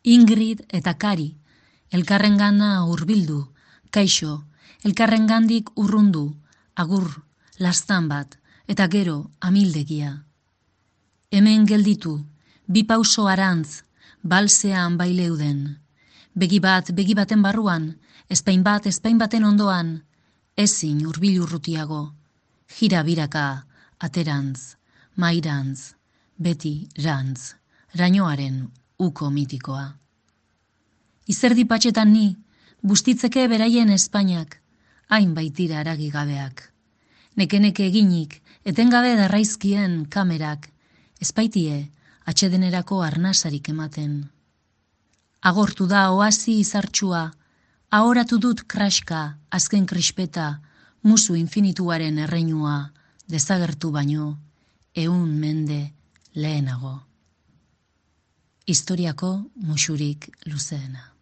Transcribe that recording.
Ingrid eta Kari, elkarrengana hurbildu, kaixo, elkarrengandik urrundu, agur, lastan bat, eta gero amildegia. Hemen gelditu, bi pauso arantz, balsean baileuden. Begi baten barruan, ezpain baten ondoan, ezin hurbil urrutiago, jira biraka, aterantz, mairantz, beti rantz, rainoaren uko mitikoa. Izerdi patxetan ni, bustitzeke beraien Espainiak, hain baitira aragigabeak. Nekeneke eginik, etengabe darraizkien kamerak, ezpaitie atxedenerako arnasarik ematen. Agortu da oasi izartxua, ahoratu dut kraska, azken krispeta, musu infinituaren erreinua, desagertu baino, 100 mende lehenago. Historiako musurik luzeena.